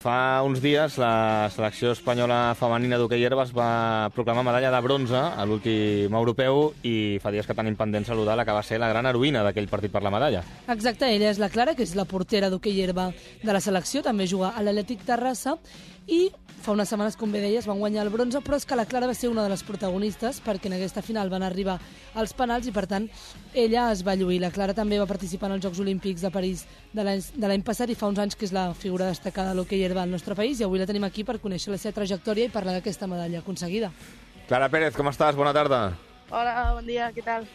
Fa uns dies la selecció espanyola femenina d'hoquei herba es va proclamar medalla de bronze a l'últim europeu i fa dies que tenim pendent saludar la que va ser la gran heroïna d'aquell partit per la medalla. Exacte, ella és la Clara, que és la portera d'hoquei herba de la selecció, també juga a l'Atlètic Terrassa i fa unes setmanes, com bé deies, van guanyar el bronze, però és que la Clara va ser una de les protagonistes perquè en aquesta final van arribar als penals i, per tant, ella es va lluir. La Clara també va participar en els Jocs Olímpics de París de l'any passat i fa uns anys que és la figura destacada de l'hoquei herba al nostre país i avui la tenim aquí per conèixer la seva trajectòria i parlar d'aquesta medalla aconseguida. Clara Pérez, com estàs? Bona tarda. Hola, bon dia, què tal?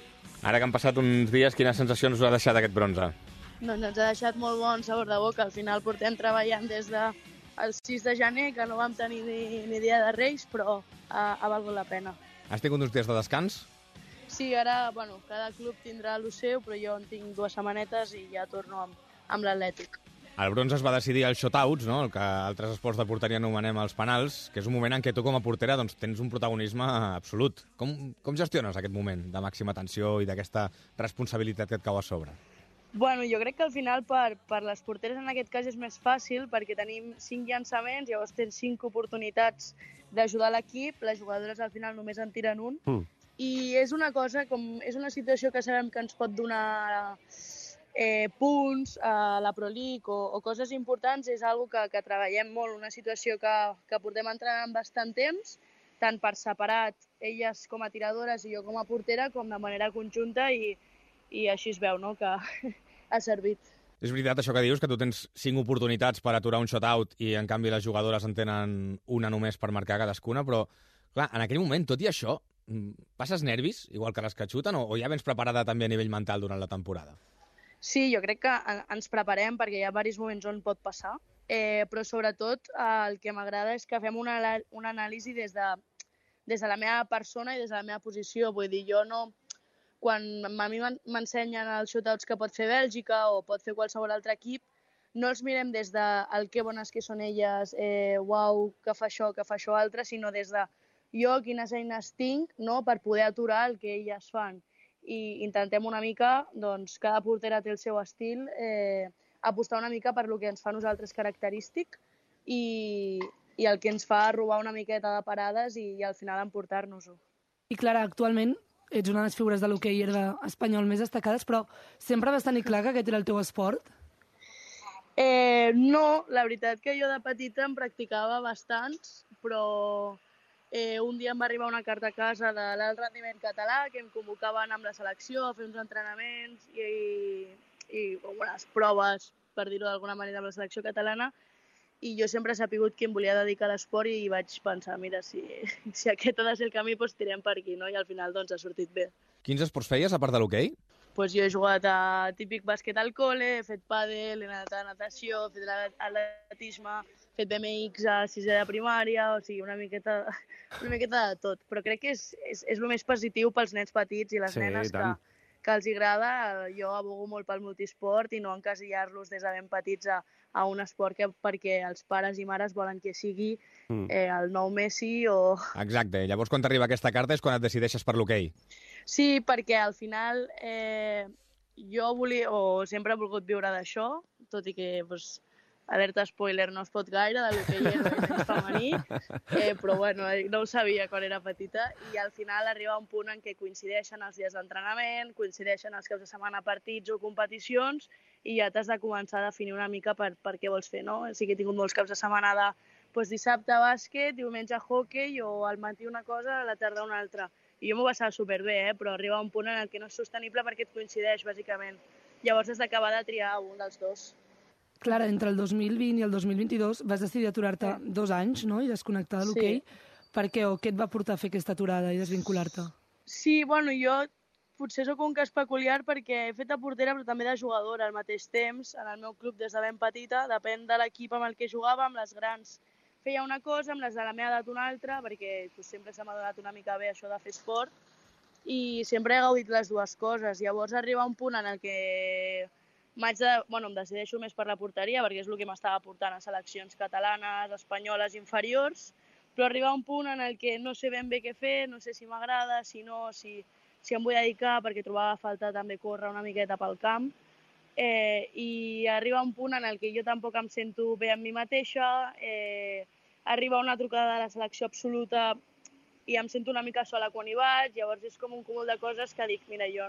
Ara que han passat uns dies, quines sensacions us ha deixat aquest bronze? Doncs ens ha deixat molt bon sabor de boca. Al final portem treballant des del 6 de gener, que no vam tenir ni dia de Reis, però ha valgut la pena. Has tingut uns dies de descans? Sí, ara, cada club tindrà el seu, però jo en tinc 2 setmanetes i ja torno amb l'Atlètic. El bronze es va decidir als shotouts, no? El que altres esports de porteria anomenem els penals, que és un moment en què tu com a portera doncs, tens un protagonisme absolut. Com gestiones aquest moment de màxima tensió i d'aquesta responsabilitat que et cau a sobre? Bueno, jo crec que al final per les porteres en aquest cas és més fàcil perquè tenim 5 llançaments, llavors tens 5 oportunitats d'ajudar l'equip, les jugadores al final només en tiren un, i és una situació que sabem que ens pot donar punts a la Pro League o coses importants, és algo que treballem molt, una situació que portem entrenant bastant temps, tant per separat, elles com a tiradores i jo com a portera, com de manera conjunta i així es veu, no?, que ha servit. És veritat això que dius, que tu tens 5 oportunitats per aturar un shutout i en canvi les jugadores en tenen una només per marcar cadascuna, però clar, en aquell moment, tot i això, passes nervis, igual que les que xuten, o ja vens preparada també a nivell mental durant la temporada? Sí, jo crec que ens preparem perquè hi ha diversos moments on pot passar, però sobretot el que m'agrada és que fem una anàlisi des de la meva persona i des de la meva posició. Vull dir, jo no... Quan a mi m'ensenyen els shootouts que pot fer Bèlgica o pot fer qualsevol altre equip, no els mirem des de el que bones que són elles, uau, que fa això altre, sinó des de jo quines eines tinc, no?, per poder aturar el que elles fan. I intentem una mica, doncs, cada portera té el seu estil, apostar una mica per lo que ens fa a nosaltres característic i el que ens fa robar una miqueta de parades i al final emportar-nos-ho. I Clara, actualment ets una de les figures de l'hoquei herba espanyol més destacades, però sempre vas tenir clar que aquest era el teu esport? No, la veritat que jo de petita en practicava bastants, però un dia em va arribar una carta a casa de l'alt rendiment català que em convocaven amb la selecció a fer uns entrenaments i unes proves, per dir-ho d'alguna manera, amb la selecció catalana, i jo sempre he sapigut que em volia dedicar a l'esport i vaig pensar, mira, si aquest ha de ser el camí, doncs tirem per aquí, no? I al final doncs ha sortit bé. Quins esports feies, a part de l'hoquei? Doncs jo he jugat a típic bàsquet al col·le, he fet pàdel, he anat a natació, he fet atletisme, he fet BMX a 6è de primària, o sigui, una miqueta de tot. Però crec que és el més positiu pels nens petits i les nenes que els agrada. Jo abogo molt pel multisport i no encasillar-los des de ben petits a un esport perquè els pares i mares volen que sigui el nou Messi o... Exacte. Llavors, quan t'arriba aquesta carta és quan et decideixes per l'hoquei. Sí, perquè al final jo sempre he volgut viure d'això, tot i que, alerta spoiler, no es pot gaire, de l'hoquei herba femení, però bueno, no ho sabia quan era petita, i al final arriba un punt en què coincideixen els dies d'entrenament, coincideixen els caps de setmana partits o competicions, i ja t'has de començar a definir una mica per què vols fer, no? Sí que he tingut molts caps de setmana de dissabte bàsquet, diumenge hoquei, o al matí una cosa, a la tarda una altra. I jo m'ho passava superbé, però arriba un punt en què no és sostenible perquè et coincideix, bàsicament. Llavors has d'acabar de triar un dels dos. Clara, entre el 2020 i el 2022 vas decidir aturar-te 2 anys, no?, i desconnectar de l'hoquei. Per què? O què et va portar a fer aquesta aturada i desvincular-te? Sí, bueno, jo potser sóc un cas peculiar perquè he fet de portera però també de jugadora al mateix temps. En el meu club des de ben petita, depèn de l'equip amb el que jugava, amb les grans feia una cosa, amb les de la meva edat una altra, perquè sempre se m'ha donat una mica bé això de fer esport i sempre he gaudit les dues coses. Llavors arriba un punt en el que em decideixo més per la porteria perquè és el que m'estava portant a seleccions catalanes, espanyoles, inferiors, però arriba un punt en el que no sé ben bé què fer, no sé si m'agrada, si no, si em vull dedicar, perquè trobava a falta també córrer una miqueta pel camp. i arriba un punt en el que jo tampoc em sento bé amb mi mateixa, arriba una trucada de la selecció absoluta i em sento una mica sola quan hi vaig, llavors és com un cúmul de coses que dic, mira, jo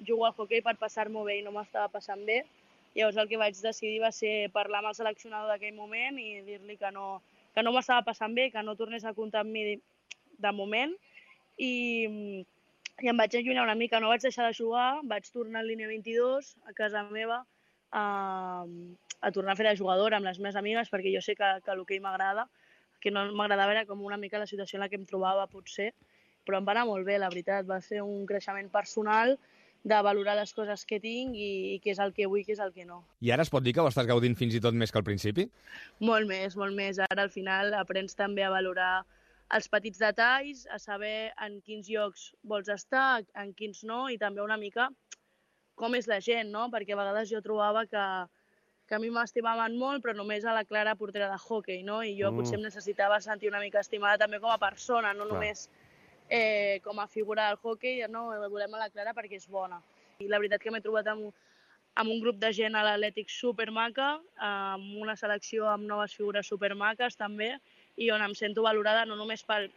jugo al hoquei per passar-m'ho bé i no m'estava passant bé, llavors el que vaig decidir va ser parlar amb el seleccionador d'aquell moment i dir-li que no m'estava passant bé, que no tornés a comptar amb mi de moment, i em vaig allunyar una mica, no vaig deixar de jugar, vaig tornar a línia 22 a casa meva a tornar a fer de jugadora amb les meves amigues perquè jo sé que l'hoquei m'agrada, que no m'agradava era com una mica la situació en la que em trobava potser, però em va anar molt bé, la veritat, va ser un creixement personal de valorar les coses que tinc i què és el que vull i què és el que no. I ara es pot dir que ho estàs gaudint fins i tot més que al principi? Molt més, molt més. Ara al final aprens també a valorar els petits detalls, a saber en quins llocs vols estar, en quins no, i també una mica com és la gent, no? Perquè a vegades jo trobava que a mi m'estimaven molt, però només a la Clara portera de hoquei, no? I jo potser em necessitava sentir una mica estimada també com a persona, no només com a figura del hoquei, no, volem a la Clara perquè és bona. I la veritat que m'he trobat amb un grup de gent a l'Atlètic supermaca, amb una selecció amb noves figures supermaques també, i on em sento valorada no només pel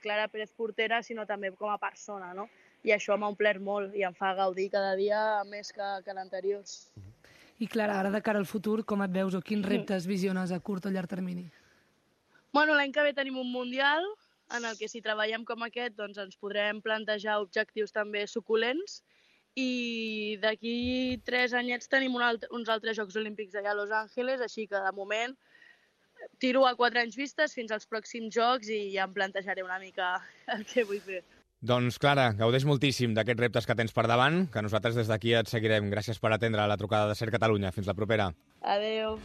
Clara Pérez portera, sinó també com a persona, no? I això m'ha omplert molt i em fa gaudir cada dia més que l'anteriors. I Clara, ara de cara al futur, com et veus o quins reptes visiones a curt o llarg termini? Bueno, l'any que ve tenim un Mundial, en el que si treballem com aquest doncs ens podrem plantejar objectius també suculents i d'aquí 3 anyets tenim uns altres Jocs Olímpics allà a Los Angeles, així que de moment tiro a 4 anys vistes fins als pròxims Jocs i ja em plantejaré una mica el que vull fer. Doncs, Clara, gaudeix moltíssim d'aquests reptes que tens per davant, que nosaltres des d'aquí et seguirem. Gràcies per atendre la trucada de Ser Catalunya. Fins la propera. Adéu.